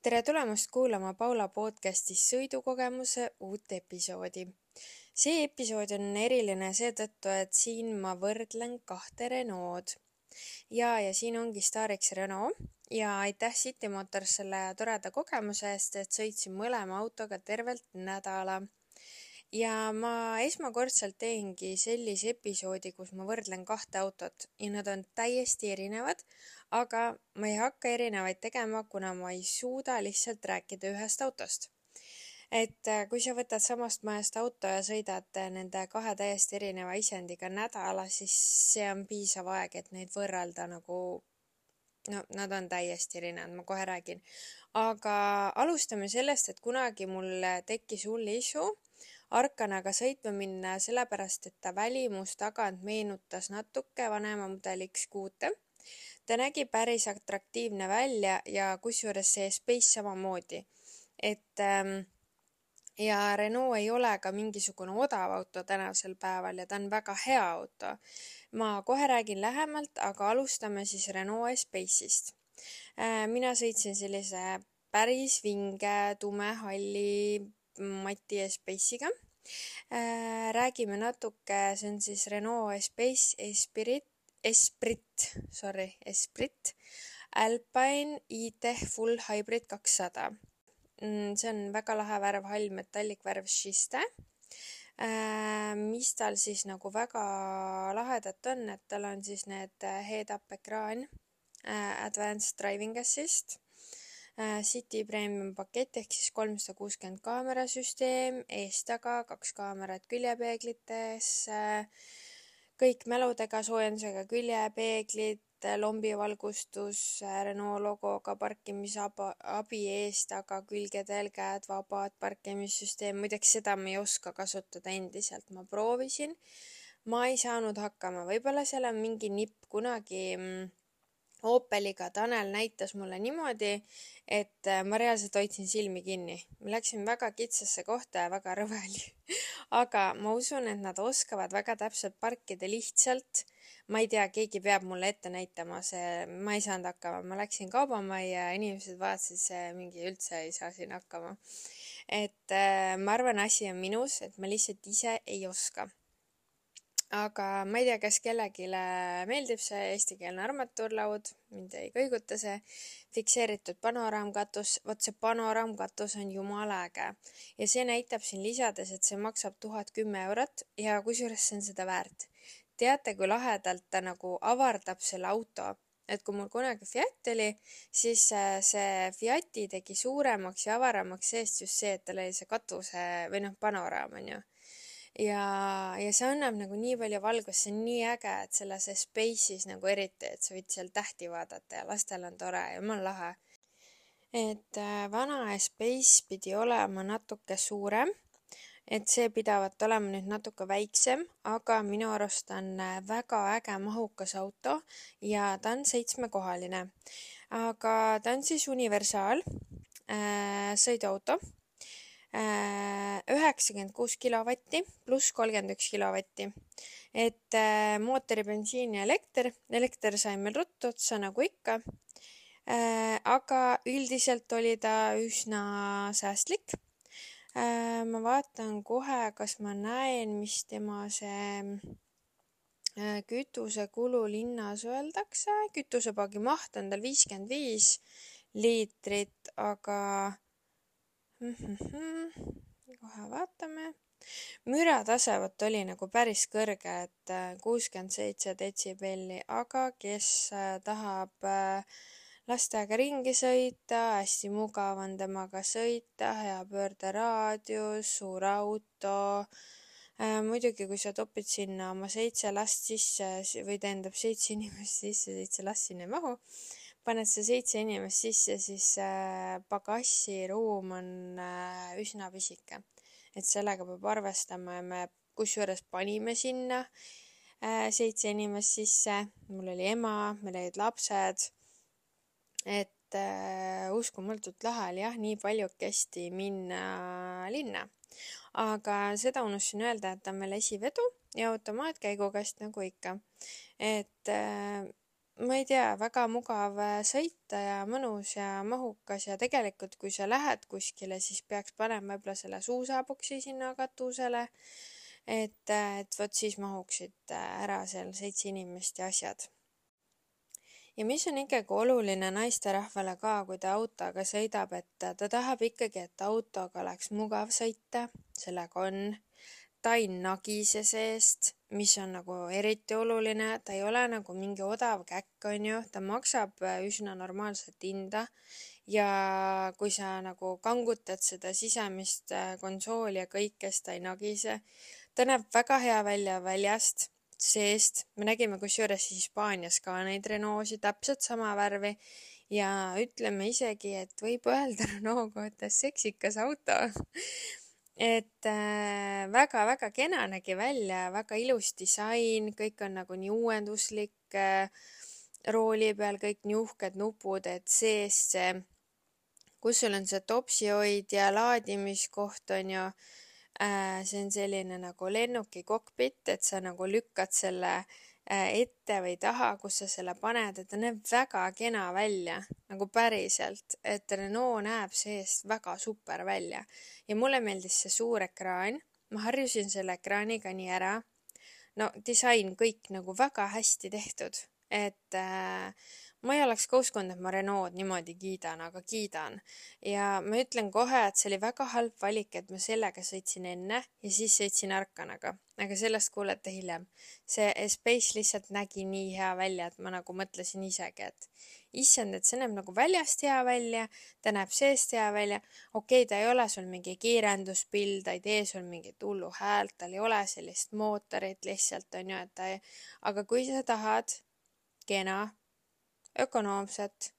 Tere tulemast kuulama Paula podcastis sõidukogemuse uut episoodi. See episood on eriline seetõttu, et siin ma võrdlen kahte Renault. Ja siin ongi staariks Renault ja aitäh City Motors selle toreda kogemuse eest, et sõitsin mõlema autoga tervelt nädala. Ja ma esmakordselt teengi sellise episoodi, kus ma võrdlen kahte autot ja nad on täiesti erinevad, aga ma ei hakka erinevaid tegema, kuna ma ei suuda lihtsalt rääkida ühest autost. Et kui sa võtad samast majast auto ja sõidad nende kahe täiesti erineva isendiga nädala, siis see on piisav aeg, et neid võrrelda nad on täiesti erinevad, ma kohe räägin. Aga alustame sellest, et kunagi mul tekkis hull isu Arkanaga sõitma minna sellepärast, et ta välimus tagant meenutas natuke vanema mudeli X6. Ta nägi päris atraktiivne välja ja kusjuures see Space samamoodi. Ja Renault ei ole ka mingisugune odav auto tänasel päeval ja ta on väga hea auto. Ma kohe räägin lähemalt, aga alustame siis Renault Space'ist. Mina sõitsin sellise päris vinge, tumehalli mati Space'iga. Räägime natuke, see on siis Renault Space Esprit Alpine e-Tech Full Hybrid 200. See on väga lahe värv, hall metallikvärv schiste. Mis tal siis nagu väga lahedat on, et tal on siis need head-up ekraan, Advanced Driving Assist, City Premium pakett ehk siis 360 kaamerasüsteem, ees-taga, 2 kaamerat küljepeeglites, kõik mäludega, soojendusega küljepeeglid, lombivalgustus, Renault logoga parkimisabi ees-taga, külgedel käed vabad, parkimissüsteem. Muideks seda ma ei oska kasutada endiselt, ma proovisin. Ma ei saanud hakkama, võib-olla seal on mingi nipp kunagi Opeliga Tanel näitas mulle niimoodi, et ma reaalselt hoidsin silmi kinni. Ma läksin väga kitsasse kohta ja väga rõve oli. Aga ma usun, et nad oskavad väga täpselt parkida lihtsalt. Ma ei tea, keegi peab mulle ette näitama, ma ei saanud hakkama. Ma läksin kaubamajja ja inimesed vaatasid, see mingi üldse ei saa siin hakkama. Ma arvan, asi on minus, et ma lihtsalt ise ei oska. Aga ma ei tea, kas kellelegi meeldib see eestikeelne armatuurlaud, mind ei kõiguta see, fikseeritud panoraamkatus, vot see panoraamkatus on jumala äge. Ja see näitab siin lisades, et see maksab 1010 eurot ja kusjuures see on seda väärt. Teate, kui lahedalt ta nagu avardab selle auto, et kui mul kunagi Fiat oli, siis see Fiati tegi suuremaks ja avaramaks seest just see, et tal oli see katuse või panoraam on ju. Ja see annab nagu nii palju valgust, see on nii äge, et selles Space'is nagu eriti, et sa võid seal tähti vaadata ja lastel on tore ja on lahe. Vana Space pidi olema natuke suurem, et see pidavat olema nüüd natuke väiksem, aga minu arust on väga äge mahukas auto ja ta on 7-kohaline. Aga ta on siis universaal sõiduauto. 96 kilovatti pluss 31 kilovatti. Mootori bensiin ja elekter sai meil ruttu otsa nagu ikka. Aga üldiselt oli ta üsna säästlik. Ma vaatan kohe, kas ma näen, mis tema see kütusekulu linnas öeldakse. Kütusepaagi maht on tal 55 liitrit, aga kohe vaatame. Müratasevot oli nagu päris kõrge, et 67 detsibelli, aga kes tahab lastega ringi sõita, hästi mugav on temaga sõita, hea pöörderaadius, suur auto. Muidugi, kui sa topid sinna oma 7 last sisse või tähendab 7 inimest sisse, 7 last sinna ei mahu, paned sa 7 inimest sisse, siis pagassiruum on üsna pisike. Et sellega peab arvestama ja me kusjuures panime sinna 7 inimest sisse. Mul oli ema, meil olid lapsed. Uskumatult lahe oli jah, nii paljukesti minna linna. Aga seda unustasin öelda, et ta on meil esivedu ja automaatkäigukast nagu ikka. ma ei tea, väga mugav sõita ja mõnus ja mahukas ja tegelikult, kui sa lähed kuskile, siis peaks panema võib-olla selle suusaboksi sinna katusele, et vot siis mahuksid ära seal 7 inimest ja asjad. Ja mis on ikkagi oluline naisterahvale ka, kui ta autoga sõidab, et ta tahab ikkagi, et autoga oleks mugav sõita, sellega on. Ta ei nagise seest, mis on nagu eriti oluline, ta ei ole nagu mingi odav käkk, on ju, ta maksab üsna normaalset hinda ja kui sa nagu kangutad seda sisemist konsooli ja kõikest, ta ei nagise. Ta näeb väga hea välja väljast, seest. Me nägime kusjuures Hispaanias ka neid Renault'si täpselt sama värvi ja ütleme isegi, et võib öelda Renault kohta seksikas auto. Et väga-väga kena nägi välja, väga ilus disain, kõik on nagu nii uuenduslik, rooli peal kõik nii uhked nupud, et sees see, kus sul on see topsihoid ja laadimiskoht on ju, see on selline nagu lennuki kokpit, et sa nagu lükkad selle ette või taha, kus sa selle paned, et ta näeb väga kena välja, nagu päriselt, et Renault näeb seest väga super välja. Ja mulle meeldis see suur ekraan, ma harjusin selle ekraaniga nii ära. No disain kõik nagu väga hästi tehtud, et ma ei oleks ka uskunud, et ma Renault niimoodi kiidan, aga kiidan. Ja ma ütlen kohe, et see oli väga halb valik, et ma sellega sõitsin enne ja siis sõitsin Arkanaga. Aga sellest kuulete hiljem. See Space lihtsalt nägi nii hea välja, et ma nagu mõtlesin isegi, et issand, et see näeb nagu väljast hea välja, ta näeb seest hea välja. Okei, ta ei ole sul mingi kiirenduspill, ta ei tee sul mingit hullu häält, tal ei ole sellist mootorit lihtsalt, on ju, et ta ei... Aga kui sa tahad kena, ökonoomset,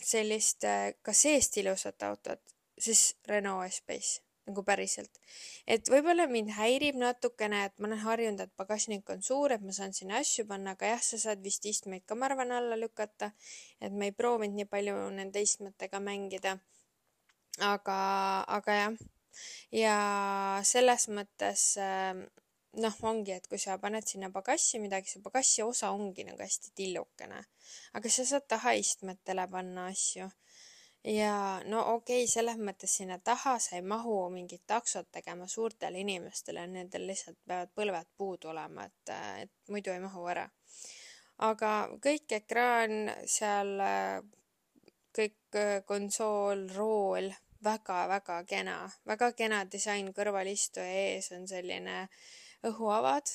sellist ka seest ilusat autot, siis Renault Espace, nagu päriselt. Et võib-olla mind häirib natukene, et ma olen harjunud, et pagasnik on suur, et ma saan sinna asju panna, aga jah, sa saad vist istmeid ka, ma arvan, alla lükata, et ma ei proovinud nii palju nende istmetega mängida. Aga jah, ja selles mõttes ongi, et kui sa paned sinna pagassi midagi, see pagassi osa ongi nagu hästi tillukene. Aga sa saad tahaistmetele panna asju. Ja no okei, selles mõttes sinna taha sa ei mahu mingit taksot tegema suurtele inimestele, nendel lihtsalt peavad põlved puudu olema, et muidu ei mahu ära. Aga kõik ekraan seal, kõik konsool, rool, väga-väga kena disain, kõrvalistuja ees on selline õhuavad,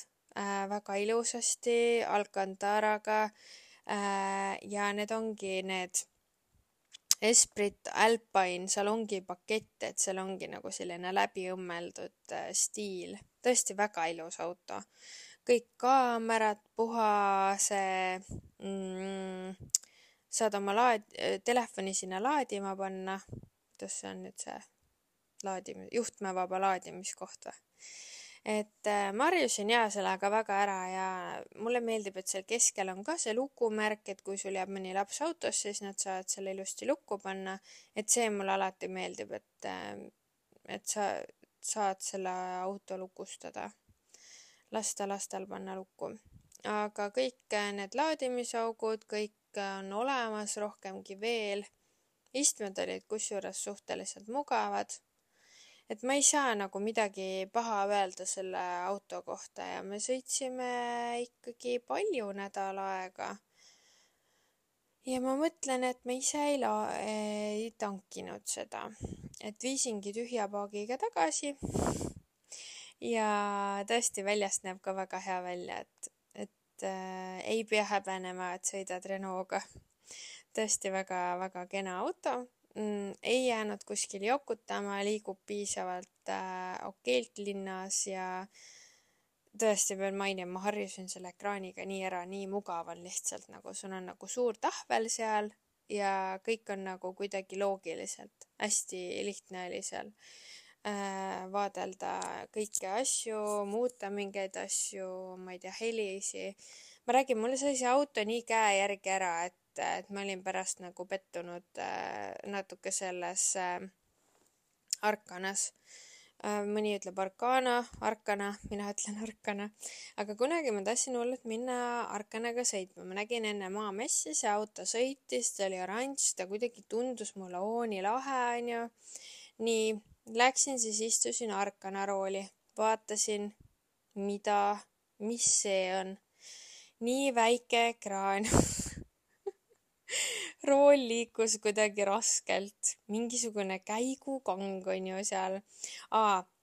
väga ilusasti, Alcantaraga ja need ongi need Esprit Alpine, seal ongi pakett, et seal ongi nagu selline läbi õmmeldud stiil. Tõesti väga ilus auto. Kõik kaamerad, puhase, saad oma telefoni sinna laadima panna. Kuidas see on nüüd see juhtmevaba laadimiskoht või? Et ma harjusin sellega väga ära ja mulle meeldib, et seal keskel on ka see lukumärk, et kui sul jääb mõni laps autosse, siis nad saavad selle ilusti lukku panna. Et see mulle alati meeldib, et sa saad selle auto lukustada. Lasta lastel panna lukku. Aga kõik need laadimisaugud, kõik on olemas rohkemgi veel. Istmed olid kusjuures suhteliselt mugavad. Et ma ei saa nagu midagi paha öelda selle auto kohta ja me sõitsime ikkagi palju nädal aega. Ja ma mõtlen, et me ise ei tankinud seda, et viisingi tühja paagiga tagasi. Ja tõesti väljast näeb ka väga hea välja, et ei pea häbenema, et sõidad Renault'ga. Tõesti väga-väga kena auto. Ei jäänud kuskil jokutama, liigub piisavalt okeilt linnas ja tõesti pean mainima, ma harjusin selle ekraaniga nii ära, nii mugav on lihtsalt, nagu sul on nagu suur tahvel seal ja kõik on nagu kuidagi loogiliselt. Hästi lihtne oli seal vaadelda kõiki asju, muuta mingeid asju, ma ei tea, helisi. Ma räägin, mulle sai see auto nii käe järgi ära, et ma olin pärast nagu pettunud natuke selles Arkanas. mõni ütleb Arkana, mina ütlen Arkana, aga kunagi ma tahtsin hullult minna Arkanaga sõitma. Ma nägin enne Maamessi, see auto sõitis, ta oli oranž, ta kuidagi tundus mulle nii lahe, onju. Nii, läksin siis istusin Arkana rooli, vaatasin, mis see on. Nii väike ekraan. Rool liikus kuidagi raskelt, mingisugune käigukang on ju seal.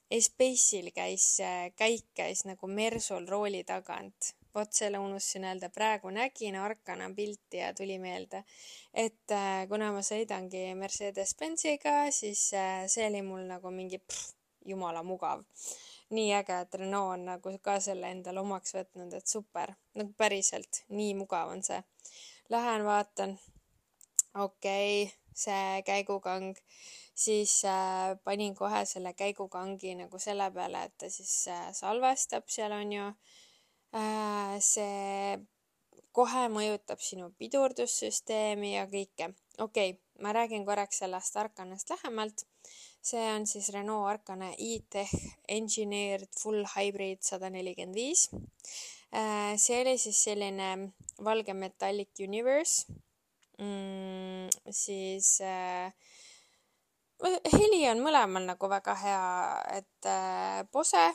Space'il käik käis nagu Mersul rooli tagant. Vot selle unustasin öelda, praegu nägin Arkana pilti ja tuli meelde, et kuna ma sõidangi Mercedes-Benziga, siis see oli mul nagu mingi jumala mugav. Nii äge, et Renault on nagu ka selle endale omaks võtnud, et super, nagu päriselt, nii mugav on see. Lähen vaatan, okei, see käigukang, siis panin kohe selle käigukangi nagu selle peale, et ta siis salvestab seal on ju. See kohe mõjutab sinu pidurdussüsteemi ja kõike. Okei, ma räägin korraks sellest Arkanast lähemalt. See on siis Renault Arkana e-Tech Engineered Full Hybrid 145. See oli siis selline valge Metallic Universe. Siis heli on mõlemal nagu väga hea, et Bose,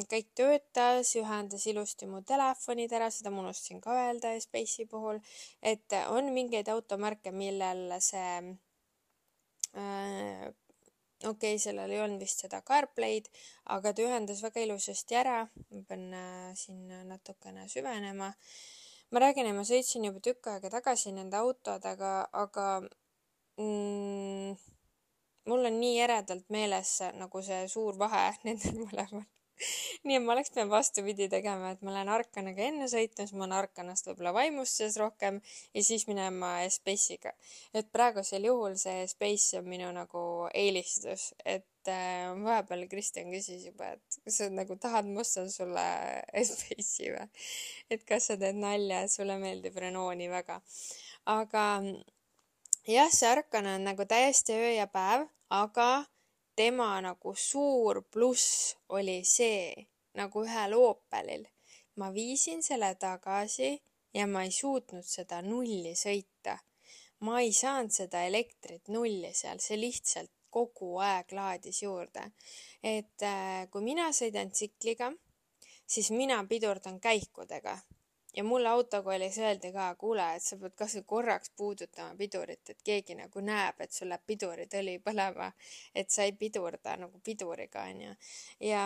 kõik töötas, ühendas ilusti mu telefonid ära, seda ma unustasin ka öelda Space'i puhul, et on mingeid automärke, millel see sellel ei olnud vist seda CarPlay'd, aga ta ühendas väga ilusasti ära. Ma pean siin natukene süvenema. Ma räägin, et ma sõitsin juba tükk aega tagasi nende autodega, aga mul on nii eredalt meeles nagu see suur vahe nendel mõlemal. Nii et ma oleks pidanud vastupidi tegema, et ma lähen Arkanaga enne sõitma, siis ma olen Arkanast võib-olla vaimustuses rohkem ja siis minema Space'iga. Et praegusel juhul see Space on minu nagu eelistus, et vahepeal Kristjan küsis juba, et kas sa nagu tahad, ma ostan sulle Space'i või? Et kas sa teed nalja, et sulle meeldib Renault nii väga. Aga jah, see Arkana on nagu täiesti öö ja päev, aga tema nagu suur pluss oli see, nagu ühel Opelil. Ma viisin selle tagasi ja ma ei suutnud seda nulli sõita. Ma ei saanud seda elektrit nulli seal, see lihtsalt kogu aeg laadis juurde. Et kui mina sõidan tsikliga, siis mina pidurdan käikudega. Ja mulle autokoolis öeldi ka, kuule, et sa pead kas korraks puudutama pidurit, et keegi nagu näeb, et sul läheb piduritõli põlema, et sa ei pidurda nagu piduriga, on ju. Ja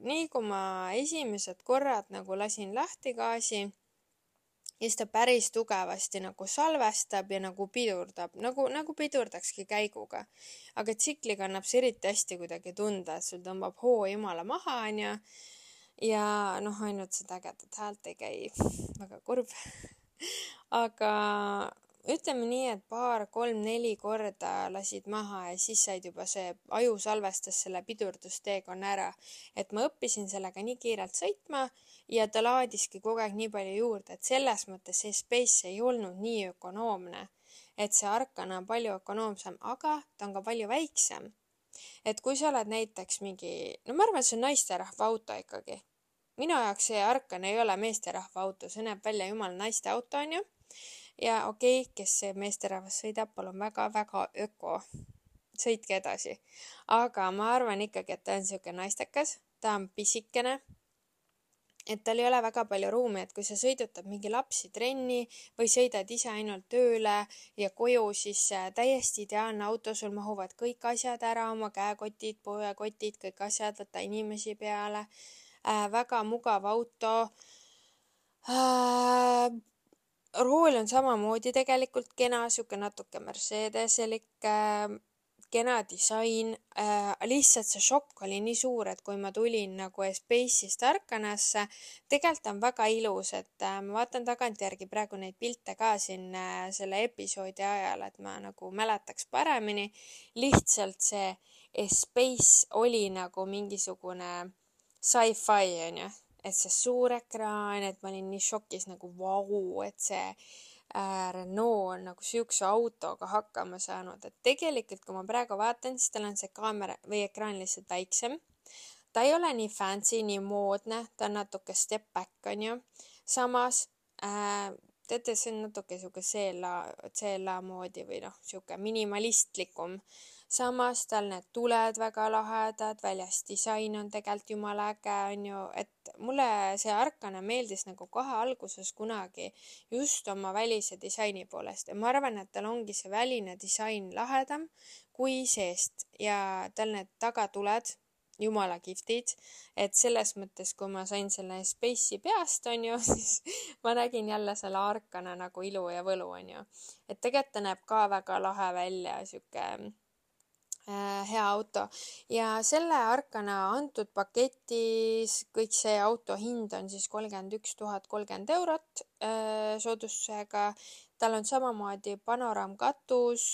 nii kui ma esimesed korrad nagu lasin lahti gaasi, ja siis ta päris tugevasti nagu salvestab ja nagu pidurdab, nagu pidurdakski käiguga. Aga tsikliga annab see eriti hästi kuidagi tunda, et sul tõmbab hoo jumala maha, on ju. Ja noh, ainult seda ägedat häält ei käi, väga kurb. Aga ütleme nii, et 2, 3, 4 korda lasid maha ja siis said juba see aju salvestas selle pidurdusteekonna ära. Et ma õppisin sellega nii kiirelt sõitma ja ta laadiski kogu aeg nii palju juurde, et selles mõttes see Space ei olnud nii ökonoomne. Et see Arkana on palju ökonoomsem, aga ta on ka palju väiksem. Et kui sa oled näiteks mingi, no ma arvan, et see on naisterahva auto ikkagi. Minu jaoks see Arkana ei ole meesterahva auto, see näeb välja jumal naiste auto, on ju. Ja okei, kes see meesterahvas sõidab, palun väga-väga öko. Sõitke edasi. Aga ma arvan ikkagi, et ta on siuke naistekas, ta on pisikene. Et tal ei ole väga palju ruumi, et kui sa sõidutad mingi lapsi trenni või sõidad ise ainult tööle ja koju, siis täiesti ideaalne auto, sul mahuvad kõik asjad ära, oma käekotid, poekotid, kõik asjad, võtta inimesi peale. Väga mugav auto. Rool on samamoodi tegelikult kena, siuke natuke Mercedeselik, kena disain, lihtsalt see šokk oli nii suur, et kui ma tulin nagu Space'ist Arkanasse, tegelikult on väga ilus, et ma vaatan tagantjärgi praegu neid pilte ka siin selle episoodi ajal, et ma nagu mäletaks paremini. Lihtsalt see Space oli nagu mingisugune sci-fi, on ju, et see suur ekraan, et ma olin nii šokis nagu vau, et see Renault on nagu siukse autoga hakkama saanud, et tegelikult kui ma praegu vaatan, siis tal on see kaamera või ekraan lihtsalt väiksem. Ta ei ole nii fancy, nii moodne, ta on natuke step back onju. Samas teate, see on natuke siuke CLA moodi või siuke minimalistlikum. Samas tal need tuled väga lahedad, väljas disain on tegelikult jumala äge onju, et mulle see Arkana meeldis nagu kohe alguses kunagi just oma välise disaini poolest ja ma arvan, et tal ongi see väline disain lahedam kui seest ja tal need tagatuled jumala kihvtid, et selles mõttes, kui ma sain selle Space'i peast onju, siis ma nägin jälle selle Arkana nagu ilu ja võlu onju, et tegelikult ta näeb ka väga lahe välja, siuke hea auto ja selle Arkana antud paketis kõik see auto hind on siis 31 030 eurot soodustusega. Tal on samamoodi panoraamkatus,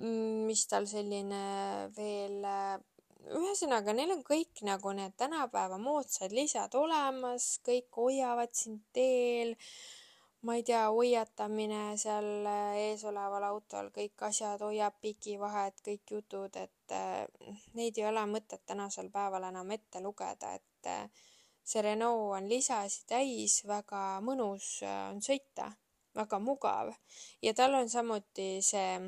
mis tal selline veel, ühesõnaga neil on kõik nagu need tänapäeva moodsad lisad olemas, kõik hoiavad sind teel. Ma ei tea, hoiatamine seal ees oleval autol, kõik asjad hoiab pigivahet, kõik jutud, et neid ei ole mõtet tänasel päeval enam ette lugeda, et see Renault on lisasi täis, väga mõnus on sõita, väga mugav ja tal on samuti see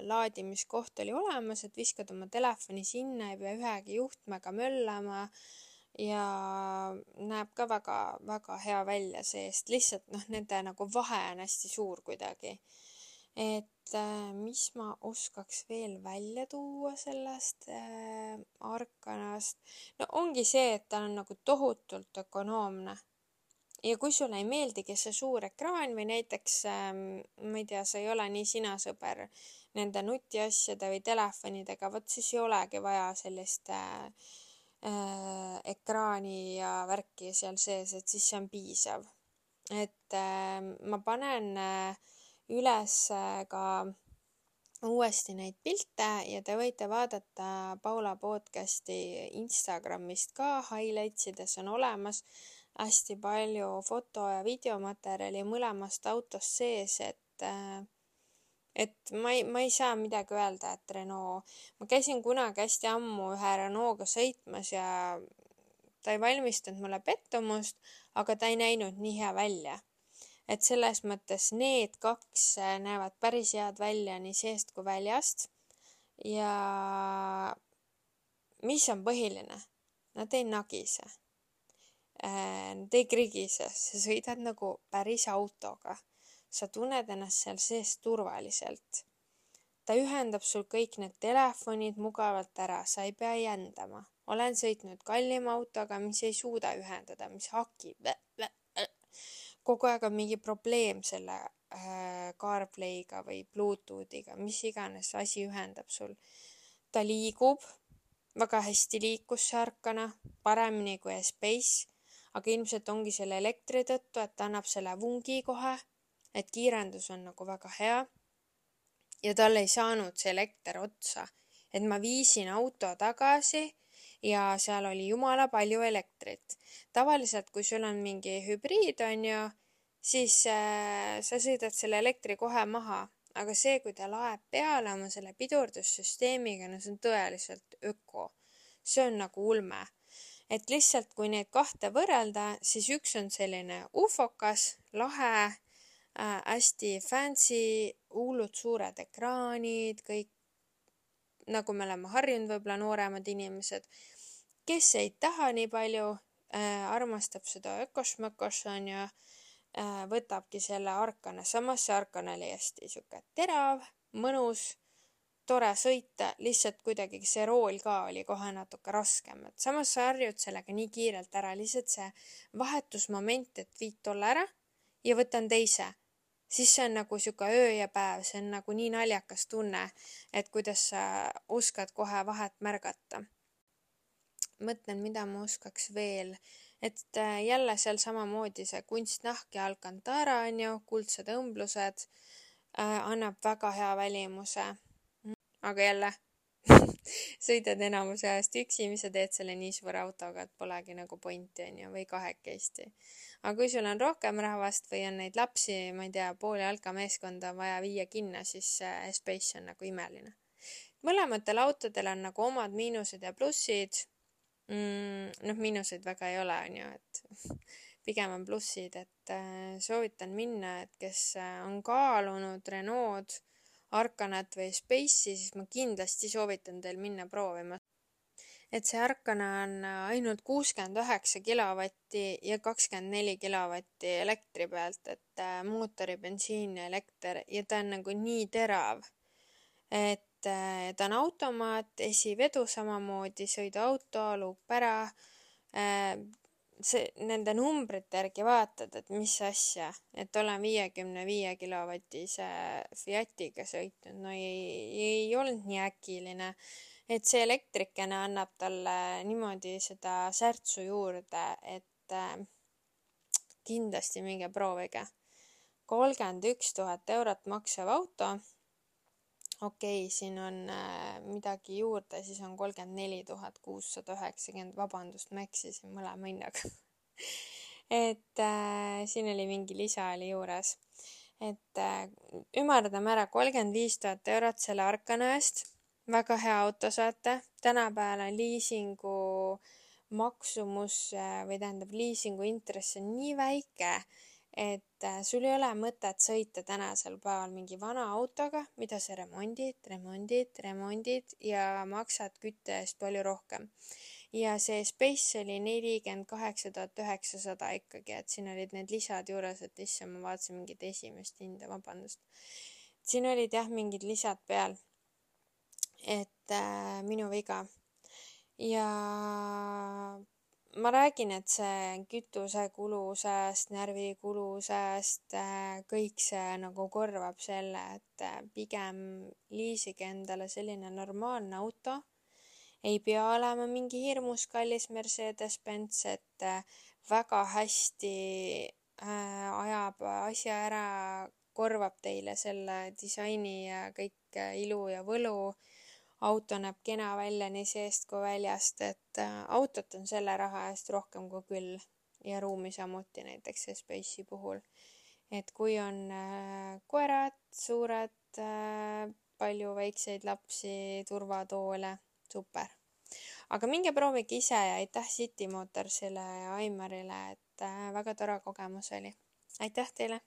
laadimiskoht oli olemas, et viskad oma telefoni sinna, ei pea ühegi juhtmega möllama ja näeb ka väga hea välja seest, lihtsalt nende nagu vahe on hästi suur kuidagi. Et mis ma oskaks veel välja tuua sellest Arkanast, no ongi see, et ta on nagu tohutult ökonoomne. Ja kui sulle ei meeldigi see suur ekraan või näiteks, ma ei tea, sa ei ole nii sinasõber nende nutiasjade või telefonidega, vot siis ei olegi vaja sellist ekraani ja värki seal sees, et siis see on piisav. Et ma panen üles ka uuesti neid pilte ja te võite vaadata Paula podcasti Instagramist ka, highlightsides on olemas hästi palju foto- ja videomaterjali mõlemast autost sees, et ma ei saa midagi öelda, et Renault, ma käisin kunagi hästi ammu ühe Renault'ga sõitmas ja ta ei valmistanud mulle pettumust, aga ta ei näinud nii hea välja. Et selles mõttes need kaks näevad päris head välja nii seest kui väljast ja mis on põhiline? Nad ei nagise. Nad ei krigise, sa sõidad nagu päris autoga. Sa tunned ennast seal sees turvaliselt. Ta ühendab sul kõik need telefonid mugavalt ära, sa ei pea jändama. Olen sõitnud kallima autoga, mis ei suuda ühendada, mis hakib. Kogu aeg on mingi probleem selle CarPlay'ga või Bluetoothiga, mis iganes asi ühendab sul. Ta liigub, väga hästi liikus see Arkana, paremini kui Space, aga ilmselt ongi selle elektri tõttu, et ta annab selle vungi kohe, et kiirendus on nagu väga hea ja tal ei saanud see elekter otsa, et ma viisin auto tagasi ja seal oli jumala palju elektrit. Tavaliselt, kui sul on mingi hübriid onju, siis sa sõidad selle elektri kohe maha, aga see, kui ta laeb peale oma selle pidurdussüsteemiga, no see on tõeliselt öko. See on nagu ulme. Et lihtsalt, kui neid kahte võrrelda, siis üks on selline ufokas, lahe, hästi fancy, hullud suured ekraanid, kõik nagu me oleme harjunud võib-olla nooremad inimesed, kes ei taha nii palju, armastab seda ökosmökos on ja võtabki selle Arkana. Samas see Arkana oli hästi siuke terav, mõnus, tore sõita, lihtsalt kuidagi see rool ka oli kohe natuke raskem. Et samas sa harjud sellega nii kiirelt ära, lihtsalt see vahetusmoment, et viid tolle ära ja võtan teise. Siis see on nagu siuke öö ja päev, see on nagu nii naljakas tunne, et kuidas sa oskad kohe vahet märgata. Mõtlen, mida ma oskaks veel, et jälle seal samamoodi see kunstnahk ja Alcantara on ju, kuldsed õmblused, annab väga hea välimuse. Aga jälle, sõidad enamuse ajast üksi, mis sa teed selle nii suure autoga, et polegi nagu pointi, onju, või kahekesti. aga kui sul on rohkem rahvast või on neid lapsi, ma ei tea, pool jalkameeskonda on vaja viia kinno, siis Space on nagu imeline. mõlematel autodel on nagu omad miinused ja plussid. Noh, miinuseid väga ei ole, onju, et pigem on plussid, et soovitan minna, et kes on kaalunud Renault Arcanat või Space'i, siis ma kindlasti soovitan teil minna proovima. et see Arcana on ainult 69 kilovatti ja 24 kilovatti elektri pealt, et mootori, bensiin ja elekter ja ta on nagu nii terav, et ta on automaat, esivedu samamoodi, sõiduauto, luup ära. Nende numbrite järgi vaatad, et mis asja, et olen 55 kilovatise Fiatiga sõitnud, no ei olnud nii äkiline, et see elektrikene annab talle niimoodi seda särtsu juurde, et kindlasti minge proovige. 31 000 eurot maksev auto. Okei, siin on midagi juurde, siis on 34 690, vabandust, ma eksisin mõlema hinnaga. et siin oli mingi lisa oli juures. et ümardame ära 35 000 eurot selle Arcana eest. väga hea auto saate. tänapäeval on liisingu maksumus või tähendab liisingu intress on nii väike, et sul ei ole mõtet sõita tänasel päeval mingi vana autoga, mida sa remondid ja maksad kütte eest palju rohkem. ja see Space oli 48 900 ikkagi, et siin olid need lisad juures, et issand, ma vaatasin mingit esimest hinda, vabandust. siin olid jah mingid lisad peal, et minu viga. ja ma räägin, et see kütusekulu sääst, närvikulu sääst, kõik see nagu korvab selle, et pigem liisige endale selline normaalne auto. Ei pea olema mingi hirmus kallis Mercedes-Benz, et väga hästi ajab asja ära, korvab teile selle disaini ja kõik ilu ja võlu. auto näeb kena välja nii seest kui väljast, et autot on selle raha eest rohkem kui küll ja ruumi samuti näiteks Space'i puhul. et kui on koerad, suured, palju väikseid lapsi, turvatoole, super. aga minge proovige ise ja aitäh City Motorsile ja Aimarile, et väga tore kogemus oli. aitäh teile!